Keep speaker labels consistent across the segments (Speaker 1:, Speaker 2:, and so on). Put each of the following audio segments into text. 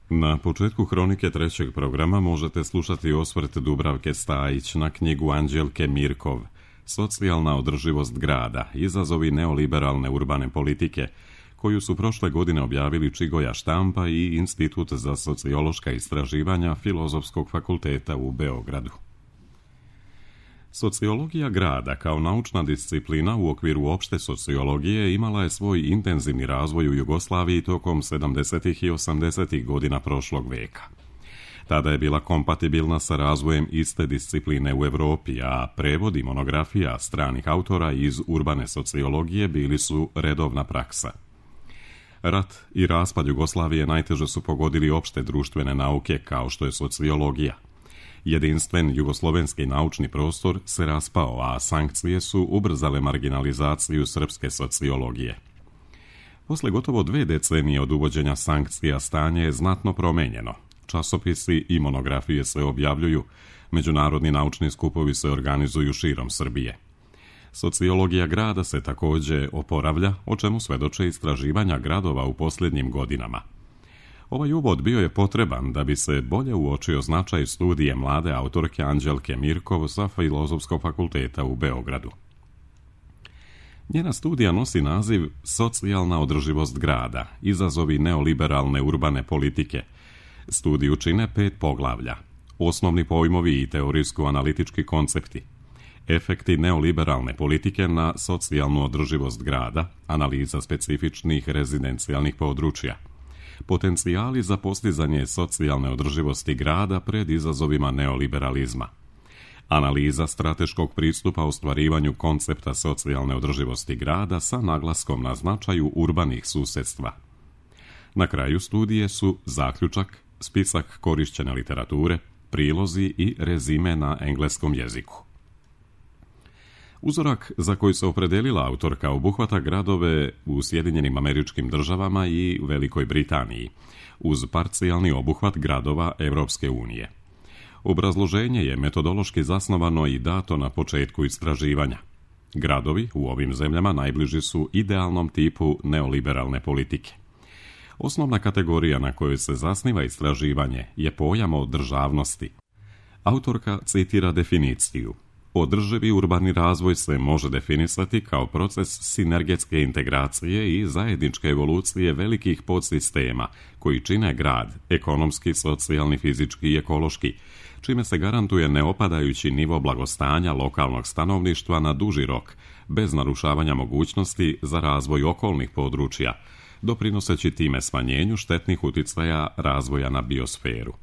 Speaker 1: Na početku Hronike trećeg programa možete slušati osvrt Dubravke Stajić na knjigu Anđelke Mirkov Socijalna održivost grada, izazovi neoliberalne urbane politike, koju su prošle godine objavili Čigoja Štampa i Institut za sociološka istraživanja Filozofskog fakulteta u Beogradu. Sociologija grada kao naučna disciplina u okviru opšte sociologije imala je svoj intenzivni razvoj u Jugoslaviji tokom 70. i 80. godina prošlog veka. Tada je bila kompatibilna sa razvojem iste discipline u Evropi, a prevodi monografija stranih autora iz urbane sociologije bili su redovna praksa. Rat i raspad Jugoslavije najteže su pogodili opšte društvene nauke kao što je sociologija. Jedinstven jugoslovenski naučni prostor se raspao, a sankcije su ubrzale marginalizaciju srpske sociologije. Posle gotovo 2 decenije od uvođenja sankcija stanje je znatno promenjeno. Časopisi i monografije se objavljuju, međunarodni naučni skupovi se organizuju širom Srbije. Sociologija grada se takođe oporavlja, o čemu svedoče istraživanja gradova u posljednjim godinama. Ovaj uvod bio je potreban da bi se bolje uočio značaj studije mlade autorke Anđelke Mirkov sa Filozofskog fakulteta u Beogradu. Njena studija nosi naziv Socijalna održivost grada, izazovi neoliberalne urbane politike. Studiju čine 5 poglavlja: osnovni pojmovi i teorijsko-analitički koncepti, efekti neoliberalne politike na socijalnu održivost grada, analiza specifičnih rezidencijalnih područja, potencijali za postizanje socijalne održivosti grada pred izazovima neoliberalizma, analiza strateškog pristupa ostvarivanju koncepta socijalne održivosti grada sa naglaskom na značaju urbanih susedstva. Na kraju studije su zaključak, spisak korišćene literature, prilozi i rezime na engleskom jeziku. Uzorak za koji se opredelila autorka obuhvata gradove u Sjedinjenim Američkim Državama i Velikoj Britaniji, uz parcijalni obuhvat gradova Evropske unije. Obrazloženje je metodološki zasnovano i dato na početku istraživanja. Gradovi u ovim zemljama najbliži su idealnom tipu neoliberalne politike. Osnovna kategorija na kojoj se zasniva istraživanje je pojam održavnosti. Autorka citira definiciju: održivi urbani razvoj se može definisati kao proces sinergetske integracije i zajedničke evolucije velikih podsistema koji čine grad, ekonomski, socijalni, fizički i ekološki, čime se garantuje neopadajući nivo blagostanja lokalnog stanovništva na duži rok, bez narušavanja mogućnosti za razvoj okolnih područja, doprinoseći time smanjenju štetnih uticaja razvoja na biosferu.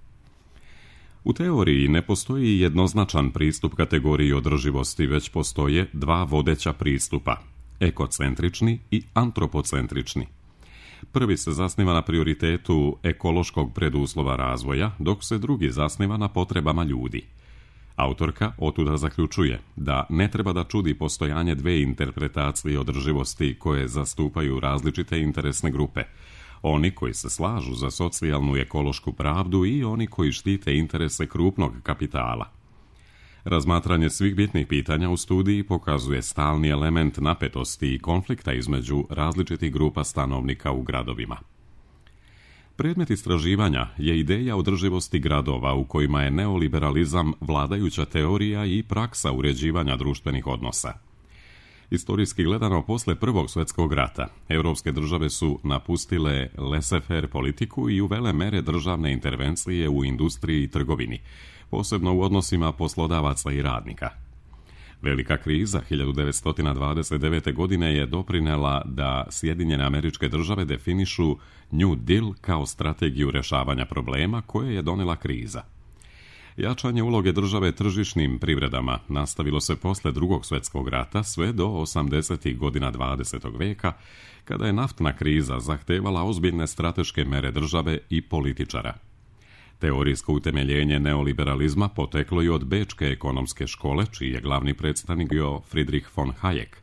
Speaker 1: U teoriji ne postoji jednoznačan pristup kategoriji održivosti, već postoje 2 vodeća pristupa: ekocentrični i antropocentrični. Prvi se zasniva na prioritetu ekološkog preduslova razvoja, dok se drugi zasniva na potrebama ljudi. Autorka otuda zaključuje da ne treba da čudi postojanje 2 interpretacije održivosti koje zastupaju različite interesne grupe: oni koji se slažu za socijalnu i ekološku pravdu i oni koji štite interese krupnog kapitala. Razmatranje svih bitnih pitanja u studiji pokazuje stalni element napetosti i konflikta između različitih grupa stanovnika u gradovima. Predmet istraživanja je ideja održivosti gradova u kojima je neoliberalizam vladajuća teorija i praksa uređivanja društvenih odnosa. Istorijski gledano, posle Prvog svjetskog rata, evropske države su napustile laissez-faire politiku i uvele mere državne intervencije u industriji i trgovini, posebno u odnosima poslodavaca i radnika. Velika kriza 1929. godine je doprinela da Sjedinjene Američke Države definišu New Deal kao strategiju rešavanja problema koje je donela kriza. Jačanje uloge države tržišnim privredama nastavilo se posle Drugog svjetskog rata sve do 80. godina 20. veka, kada je naftna kriza zahtevala ozbiljne strateške mere države i političara. Teorijsko utemeljenje neoliberalizma poteklo je od Bečke ekonomske škole, čiji je glavni predstavnik bio Friedrich von Hayek,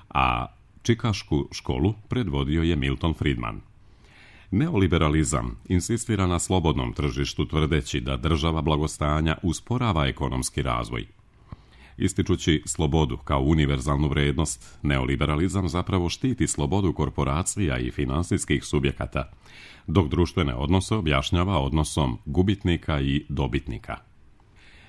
Speaker 1: a Čikašku školu predvodio je Milton Friedman. Neoliberalizam insistira na slobodnom tržištu, tvrdeći da država blagostanja usporava ekonomski razvoj. Ističući slobodu kao univerzalnu vrijednost, neoliberalizam zapravo štiti slobodu korporacija i finansijskih subjekata, dok društvene odnose objašnjava odnosom gubitnika i dobitnika.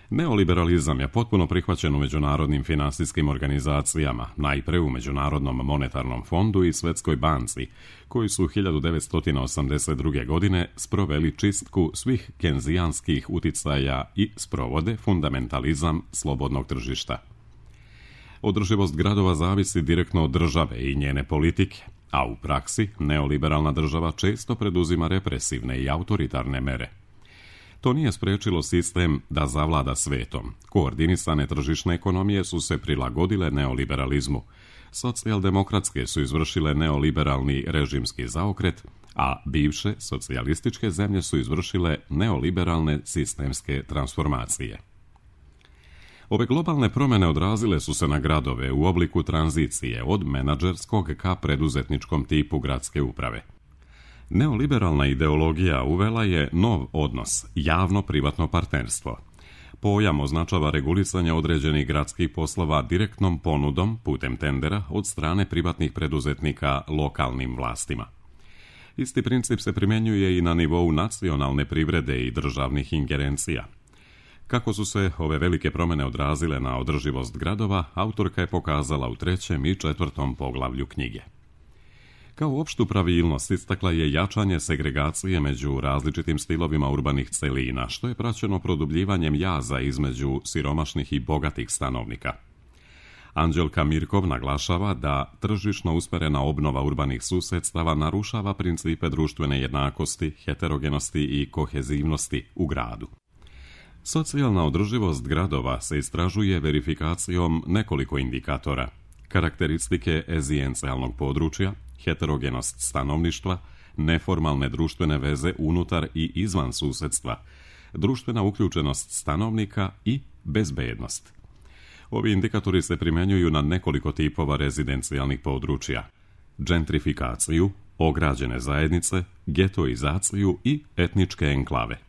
Speaker 1: Neoliberalizam je potpuno prihvaćen u međunarodnim finansijskim organizacijama, najpre u Međunarodnom monetarnom fondu i Svjetskoj banci, koji su 1982. godine sproveli čistku svih kenzijanskih uticaja i sprovode fundamentalizam slobodnog tržišta. Održivost gradova zavisi direktno od države i njene politike, a u praksi neoliberalna država često preduzima represivne i autoritarne mere. To nije spriječilo sistem da zavlada svetom. Koordinisane tržišne ekonomije su se prilagodile neoliberalizmu. Socijaldemokratske su izvršile neoliberalni režimski zaokret, a bivše socijalističke zemlje su izvršile neoliberalne sistemske transformacije. Ove globalne promjene odrazile su se na gradove u obliku tranzicije od menadžerskog ka preduzetničkom tipu gradske uprave. Neoliberalna ideologija uvela je nov odnos, javno-privatno partnerstvo. Pojam označava regulisanje određenih gradskih poslova direktnom ponudom putem tendera od strane privatnih preduzetnika lokalnim vlastima. Isti princip se primjenjuje i na nivou nacionalne privrede i državnih ingerencija. Kako su se ove velike promjene odrazile na održivost gradova, autorka je pokazala u 3. i 4. poglavlju knjige. Kao opštu pravilnost istakla je jačanje segregacije među različitim stilovima urbanih celina, što je praćeno produbljivanjem jaza između siromašnih i bogatih stanovnika. Anđelka Mirkov naglašava da tržišno usmerena obnova urbanih susedstava narušava principe društvene jednakosti, heterogenosti i kohezivnosti u gradu. Socijalna održivost gradova se istražuje verifikacijom nekoliko indikatora: karakteristike ezijencijalnog područja, heterogenost stanovništva, neformalne društvene veze unutar i izvan susedstva, društvena uključenost stanovnika i bezbednost. Ovi indikatori se primjenjuju na nekoliko tipova rezidencijalnih područja: gentrifikaciju, ograđene zajednice, getoizaciju i etničke enklave.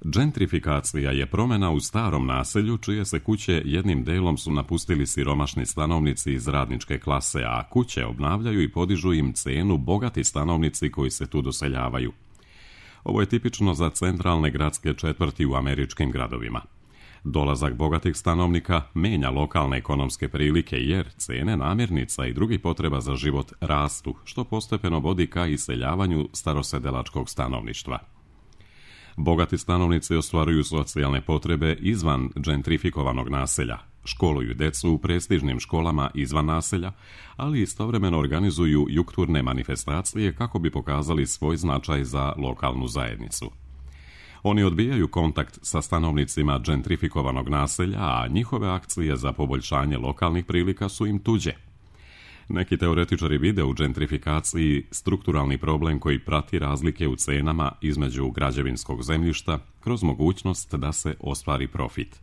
Speaker 1: Gentrifikacija je promjena u starom naselju čije se kuće jednim delom su napustili siromašni stanovnici iz radničke klase, a kuće obnavljaju i podižu im cenu bogati stanovnici koji se tu doseljavaju. Ovo je tipično za centralne gradske četvrti u američkim gradovima. Dolazak bogatih stanovnika menja lokalne ekonomske prilike jer cene namirnica i drugih potreba za život rastu, što postepeno vodi ka iseljavanju starosedelačkog stanovništva. Bogati stanovnici ostvaruju socijalne potrebe izvan gentrifikovanog naselja, školuju decu u prestižnim školama izvan naselja, ali istovremeno organizuju jukturne manifestacije kako bi pokazali svoj značaj za lokalnu zajednicu. Oni odbijaju kontakt sa stanovnicima gentrifikovanog naselja, a njihove akcije za poboljšanje lokalnih prilika su im tuđe. Neki teoretičari vide u gentrifikaciji strukturalni problem koji prati razlike u cenama između građevinskog zemljišta kroz mogućnost da se ostvari profit.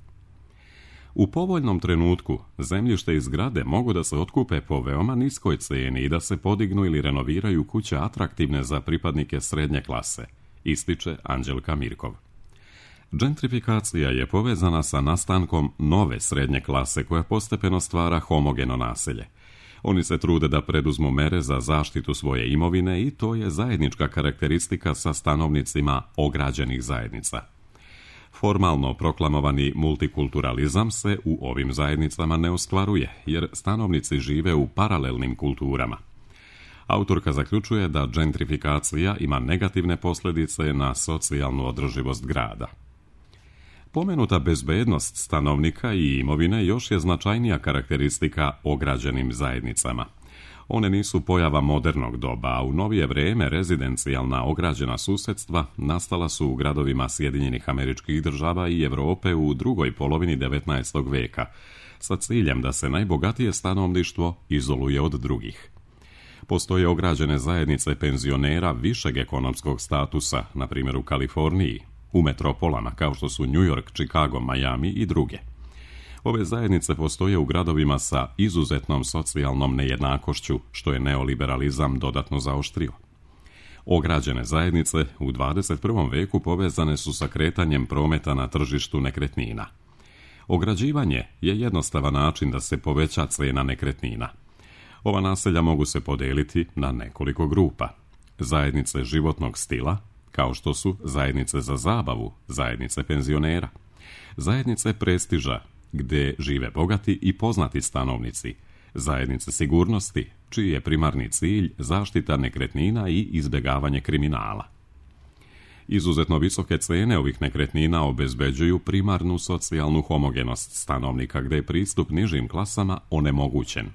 Speaker 1: U povoljnom trenutku zemljište i zgrade mogu da se otkupe po veoma niskoj ceni i da se podignu ili renoviraju kuće atraktivne za pripadnike srednje klase, ističe Anđelka Mirkov. Gentrifikacija je povezana sa nastankom nove srednje klase koja postepeno stvara homogeno naselje. Oni se trude da preduzmu mere za zaštitu svoje imovine i to je zajednička karakteristika sa stanovnicima ograđenih zajednica. Formalno proklamovani multikulturalizam se u ovim zajednicama ne ostvaruje, jer stanovnici žive u paralelnim kulturama. Autorka zaključuje da gentrifikacija ima negativne posljedice na socijalnu održivost grada. Pomenuta bezbednost stanovnika i imovine još je značajnija karakteristika ograđenim zajednicama. One nisu pojava modernog doba, a u novije vrijeme rezidencijalna ograđena susedstva nastala su u gradovima Sjedinjenih Američkih Država i Europe u drugoj polovini 19. veka, sa ciljem da se najbogatije stanovništvo izoluje od drugih. Postoje ograđene zajednice penzionera višeg ekonomskog statusa, na primjer u Kaliforniji, u metropolama kao što su New York, Chicago, Miami i druge. Ove zajednice postoje u gradovima sa izuzetnom socijalnom nejednakošću, što je neoliberalizam dodatno zaoštrio. Ograđene zajednice u 21. veku povezane su sa kretanjem prometa na tržištu nekretnina. Ograđivanje je jednostavan način da se poveća cijena nekretnina. Ova naselja mogu se podijeliti na nekoliko grupa. Zajednice životnog stila, kao što su zajednice za zabavu, zajednice penzionera, zajednice prestiža, gdje žive bogati i poznati stanovnici, zajednice sigurnosti, čiji je primarni cilj zaštita nekretnina i izbjegavanje kriminala. Izuzetno visoke cijene ovih nekretnina obezbeđuju primarnu socijalnu homogenost stanovnika, gdje je pristup nižim klasama onemogućen.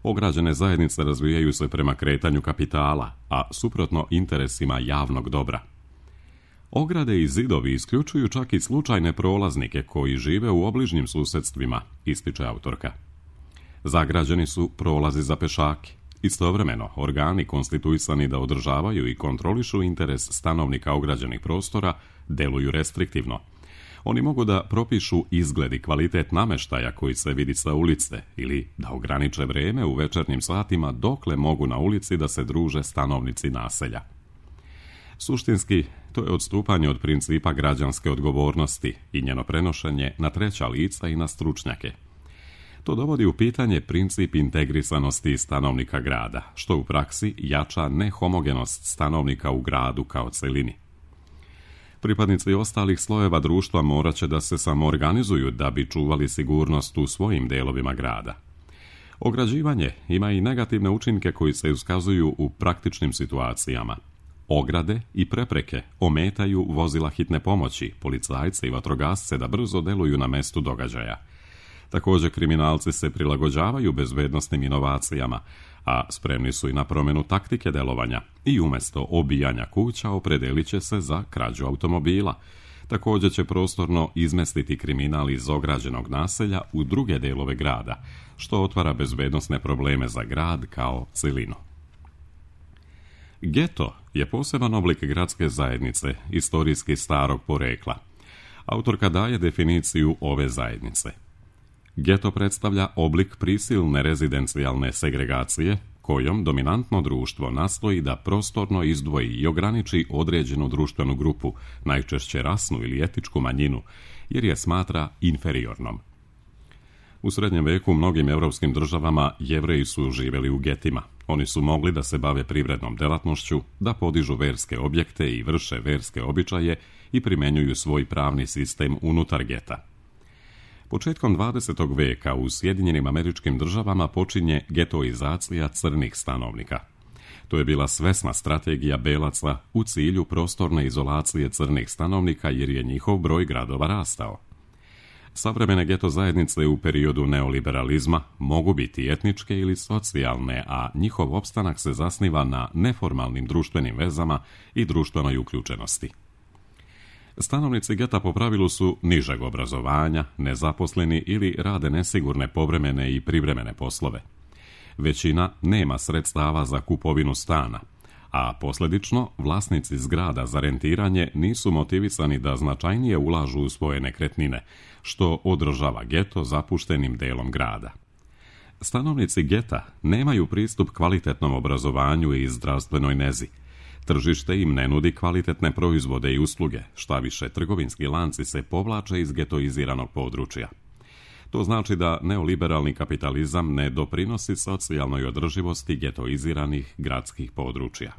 Speaker 1: Ograđene zajednice razvijaju se prema kretanju kapitala, a suprotno interesima javnog dobra. Ograde i zidovi isključuju čak i slučajne prolaznike koji žive u obližnjim susjedstvima, ističe autorka. Zagrađeni su prolazi za pešake. Istovremeno, organi konstituisani da održavaju i kontrolišu interes stanovnika ograđenih prostora deluju restriktivno. Oni mogu da propišu izgled i kvalitet namještaja koji se vidi sa ulice ili da ograniče vrijeme u večernjim satima dokle mogu na ulici da se druže stanovnici naselja. Suštinski, to je odstupanje od principa građanske odgovornosti i njeno prenošenje na treća lica i na stručnjake. To dovodi u pitanje princip integrisanosti stanovnika grada, što u praksi jača nehomogenost stanovnika u gradu kao celini. Pripadnici ostalih slojeva društva morat će da se samoorganizuju da bi čuvali sigurnost u svojim delovima grada. Ograđivanje ima i negativne učinke koji se iskazuju u praktičnim situacijama. Ograde i prepreke ometaju vozila hitne pomoći, policajce i vatrogasce da brzo deluju na mestu događaja. Također kriminalci se prilagođavaju bezbednosnim inovacijama, a spremni su i na promjenu taktike delovanja i umjesto obijanja kuća opredelit će se za krađu automobila. Također će prostorno izmestiti kriminal iz ograđenog naselja u druge delove grada, što otvara bezbednosne probleme za grad kao celinu. Geto je poseban oblik gradske zajednice, istorijski starog porekla. Autorka daje definiciju ove zajednice. Geto predstavlja oblik prisilne rezidencijalne segregacije kojom dominantno društvo nastoji da prostorno izdvoji i ograniči određenu društvenu grupu, najčešće rasnu ili etičku manjinu, jer je smatra inferiornom. U srednjem veku u mnogim europskim državama Jevreji su živjeli u getima. Oni su mogli da se bave privrednom delatnošću, da podižu verske objekte i vrše verske običaje i primjenjuju svoj pravni sistem unutar geta. Početkom 20. veka u Sjedinjenim Američkim Državama počinje getoizacija crnih stanovnika. To je bila svesna strategija belaca u cilju prostorne izolacije crnih stanovnika jer je njihov broj gradova rastao. Savremene geto zajednice u periodu neoliberalizma mogu biti etničke ili socijalne, a njihov opstanak se zasniva na neformalnim društvenim vezama i društvenoj uključenosti. Stanovnici geta po pravilu su nižeg obrazovanja, nezaposleni ili rade nesigurne povremene i privremene poslove. Većina nema sredstava za kupovinu stana, a posljedično vlasnici zgrada za rentiranje nisu motivisani da značajnije ulažu u svoje nekretnine, što održava geto zapuštenim delom grada. Stanovnici geta nemaju pristup kvalitetnom obrazovanju i zdravstvenoj nezi. Tržište im ne nudi kvalitetne proizvode i usluge, šta više trgovinski lanci se povlače iz getoiziranog područja. To znači da neoliberalni kapitalizam ne doprinosi socijalnoj održivosti getoiziranih gradskih područja.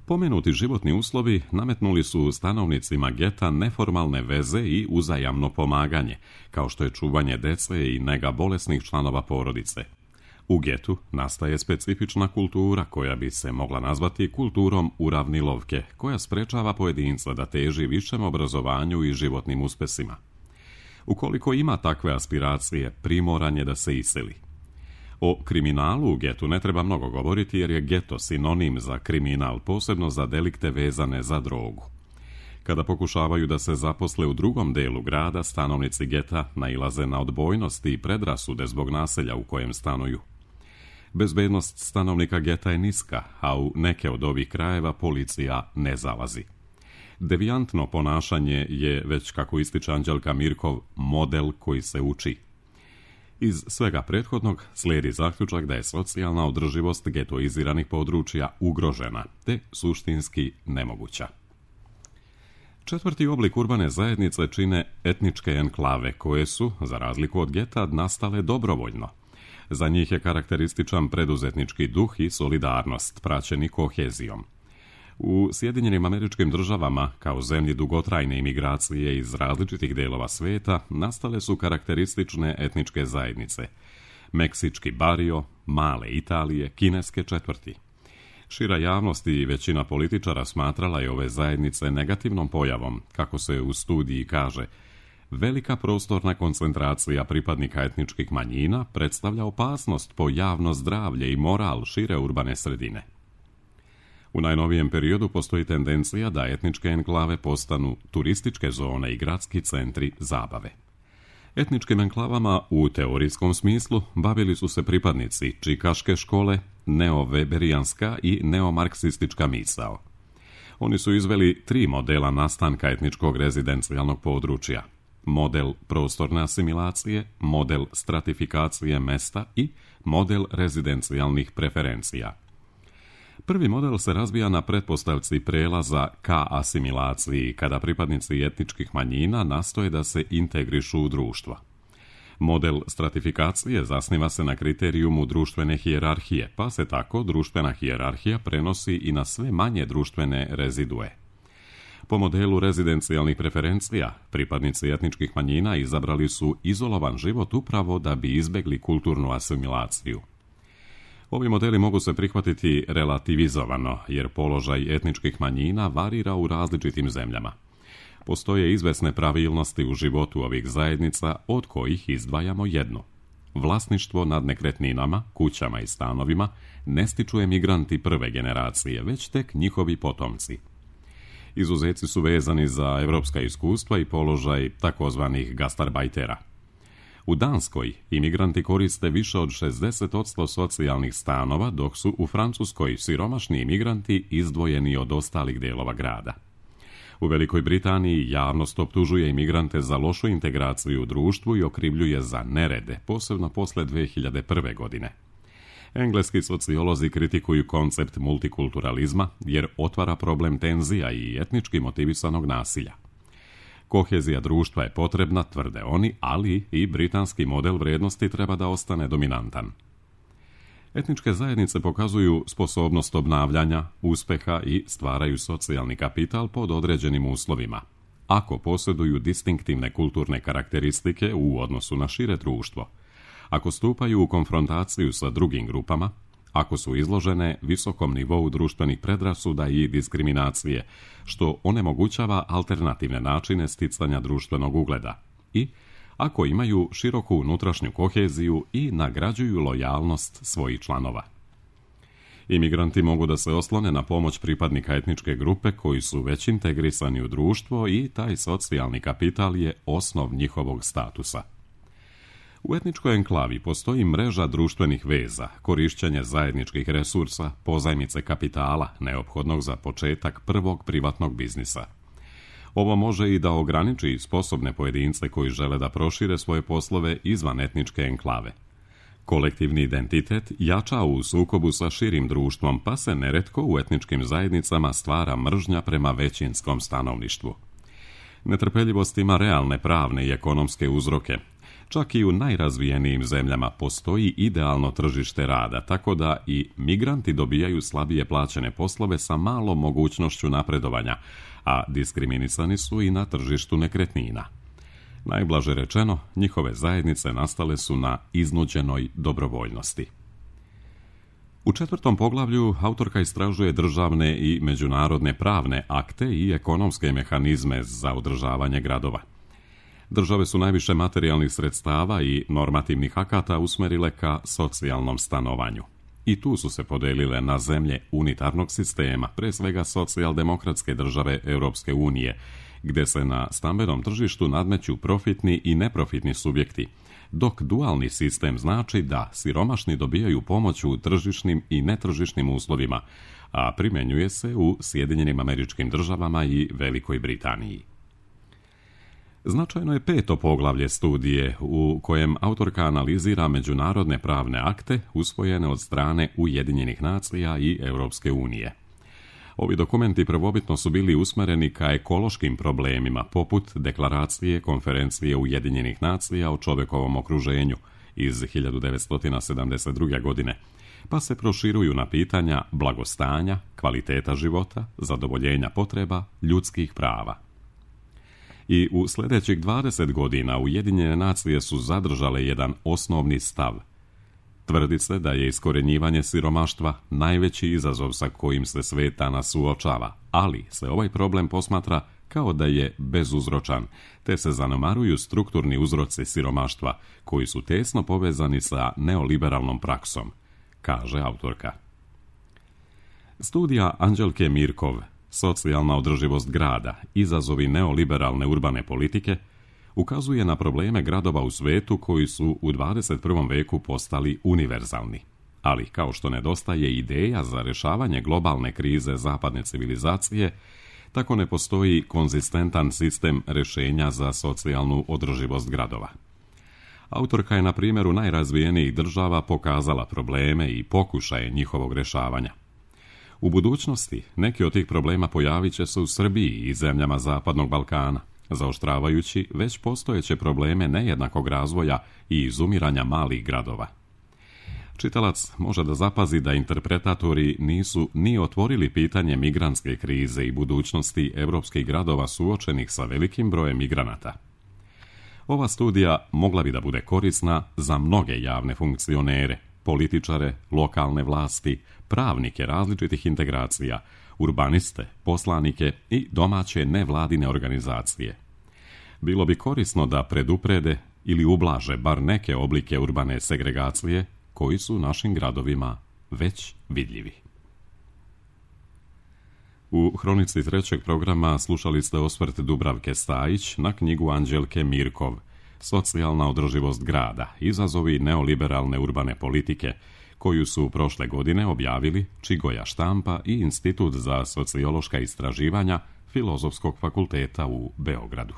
Speaker 1: Pomenuti životni uslovi nametnuli su stanovnicima geta neformalne veze i uzajamno pomaganje, kao što je čuvanje dece i nega bolesnih članova porodice. U getu nastaje specifična kultura koja bi se mogla nazvati kulturom uravnilovke, koja sprečava pojedinca da teži višem obrazovanju i životnim uspesima. Ukoliko ima takve aspiracije, primoran je da se iseli. O kriminalu u getu ne treba mnogo govoriti jer je geto sinonim za kriminal, posebno za delikte vezane za drogu. Kada pokušavaju da se zaposle u drugom delu grada, stanovnici geta nailaze na odbojnost i predrasude zbog naselja u kojem stanuju. Bezbednost stanovnika geta je niska, a u neke od ovih krajeva policija ne zalazi. Devijantno ponašanje je, već kako ističe Anđelka Mirkov, model koji se uči. Iz svega prethodnog slijedi zaključak da je socijalna održivost getoiziranih područja ugrožena, te suštinski nemoguća. Četvrti oblik urbane zajednice čine etničke enklave, koje su, za razliku od geta, nastale dobrovoljno. Za njih je karakterističan preduzetnički duh i solidarnost, praćeni kohezijom. U Sjedinjenim Američkim Državama, kao zemlji dugotrajne imigracije iz različitih delova sveta, nastale su karakteristične etničke zajednice. Meksički bario, male Italije, kineske četvrti. Šira javnost i većina političara smatrala je ove zajednice negativnom pojavom, kako se u studiji kaže. Velika prostorna koncentracija pripadnika etničkih manjina predstavlja opasnost po javno zdravlje i moral šire urbane sredine. U najnovijem periodu postoji tendencija da etničke enklave postanu turističke zone i gradski centri zabave. Etničkim enklavama u teorijskom smislu bavili su se pripadnici čikaške škole, neoveberijanska i neomarksistička misao. Oni su izveli 3 modela nastanka etničkog rezidencijalnog područja. Model prostorne asimilacije, model stratifikacije mesta i model rezidencijalnih preferencija. Prvi model se razvija na pretpostavci prelaza ka asimilaciji, kada pripadnici etničkih manjina nastoje da se integrišu u društvo. Model stratifikacije zasniva se na kriterijumu društvene hijerarhije, pa se tako društvena hijerarhija prenosi i na sve manje društvene rezidue. Po modelu rezidencijalnih preferencija, pripadnici etničkih manjina izabrali su izolovan život upravo da bi izbegli kulturnu asimilaciju. Ovi modeli mogu se prihvatiti relativizovano, jer položaj etničkih manjina varira u različitim zemljama. Postoje izvesne pravilnosti u životu ovih zajednica, od kojih izdvajamo jednu. Vlasništvo nad nekretninama, kućama i stanovima ne stiču emigranti prve generacije, već tek njihovi potomci. Izuzeci su vezani za evropska iskustva i položaj takozvanih gastarbajtera. U Danskoj imigranti koriste više od 60% socijalnih stanova, dok su u Francuskoj siromašni imigranti izdvojeni od ostalih delova grada. U Velikoj Britaniji javnost optužuje imigrante za lošu integraciju u društvu i okrivljuje za nerede, posebno posle 2001. godine. Engleski sociolozi kritikuju koncept multikulturalizma jer otvara problem tenzija i etnički motivisanog nasilja. Kohezija društva je potrebna, tvrde oni, ali i britanski model vrijednosti treba da ostane dominantan. Etničke zajednice pokazuju sposobnost obnavljanja, uspeha i stvaraju socijalni kapital pod određenim uslovima, ako posjeduju distinktivne kulturne karakteristike u odnosu na šire društvo, ako stupaju u konfrontaciju sa drugim grupama, ako su izložene visokom nivou društvenih predrasuda i diskriminacije, što onemogućava alternativne načine sticanja društvenog ugleda, i ako imaju široku unutrašnju koheziju i nagrađuju lojalnost svojih članova. Imigranti mogu da se oslone na pomoć pripadnika etničke grupe koji su već integrisani u društvo i taj socijalni kapital je osnov njihovog statusa. U etničkoj enklavi postoji mreža društvenih veza, korišćenje zajedničkih resursa, pozajmice kapitala, neophodnog za početak prvog privatnog biznisa. Ovo može i da ograniči sposobne pojedince koji žele da prošire svoje poslove izvan etničke enklave. Kolektivni identitet jača u sukobu sa širim društvom, pa se neretko u etničkim zajednicama stvara mržnja prema većinskom stanovništvu. Netrpeljivost ima realne pravne i ekonomske uzroke. Čak i u najrazvijenijim zemljama postoji idealno tržište rada, tako da i migranti dobijaju slabije plaćene poslove sa malom mogućnošću napredovanja, a diskriminisani su i na tržištu nekretnina. Najblaže rečeno, njihove zajednice nastale su na iznuđenoj dobrovoljnosti. U 4. poglavlju autorka istražuje državne i međunarodne pravne akte i ekonomske mehanizme za održavanje gradova. Države su najviše materijalnih sredstava i normativnih akata usmerile ka socijalnom stanovanju. I tu su se podelile na zemlje unitarnog sistema, pre svega socijaldemokratske države Europske unije, gde se na stambenom tržištu nadmeću profitni i neprofitni subjekti, dok dualni sistem znači da siromašni dobijaju pomoć u tržišnim i netržišnim uslovima, a primjenjuje se u Sjedinjenim Američkim Državama i Velikoj Britaniji. Značajno je 5. poglavlje studije u kojem autorka analizira međunarodne pravne akte usvojene od strane Ujedinjenih nacija i Europske unije. Ovi dokumenti prvobitno su bili usmereni ka ekološkim problemima, poput deklaracije Konferencije Ujedinjenih nacija o čovjekovom okruženju iz 1972. godine, pa se proširuju na pitanja blagostanja, kvaliteta života, zadovoljenja potreba, ljudskih prava. I u sljedećih 20 godina Ujedinjene nacije su zadržale jedan osnovni stav. Tvrdi se da je iskorjenjivanje siromaštva najveći izazov sa kojim se svijet danas suočava, ali se ovaj problem posmatra kao da je bezuzročan, te se zanemaruju strukturni uzroci siromaštva koji su tesno povezani sa neoliberalnom praksom, kaže autorka. Studija Anđelke Mirkov, Socijalna održivost grada, izazovi neoliberalne urbane politike, ukazuje na probleme gradova u svijetu koji su u 21. veku postali univerzalni. Ali, kao što nedostaje ideja za rješavanje globalne krize zapadne civilizacije, tako ne postoji konzistentan sistem rješenja za socijalnu održivost gradova. Autorka je na primjeru najrazvijenijih država pokazala probleme i pokušaje njihovog rješavanja. U budućnosti neki od tih problema pojavit će se u Srbiji i zemljama Zapadnog Balkana, zaoštravajući već postojeće probleme nejednakog razvoja i izumiranja malih gradova. Čitalac može da zapazi da interpretatori nisu ni otvorili pitanje migrantske krize i budućnosti evropskih gradova suočenih sa velikim brojem migranata. Ova studija mogla bi da bude korisna za mnoge javne funkcionere, političare, lokalne vlasti, pravnike različitih integracija, urbaniste, poslanike i domaće nevladine organizacije. Bilo bi korisno da preduprede ili ublaže bar neke oblike urbane segregacije koji su našim gradovima već vidljivi. U hronici trećeg programa slušali ste osvrt Dubravke Stajić na knjigu Anđelke Mirkov, Socijalna održivost grada, izazovi neoliberalne urbane politike, koju su prošle godine objavili Čigoja štampa i Institut za sociološka istraživanja Filozofskog fakulteta u Beogradu.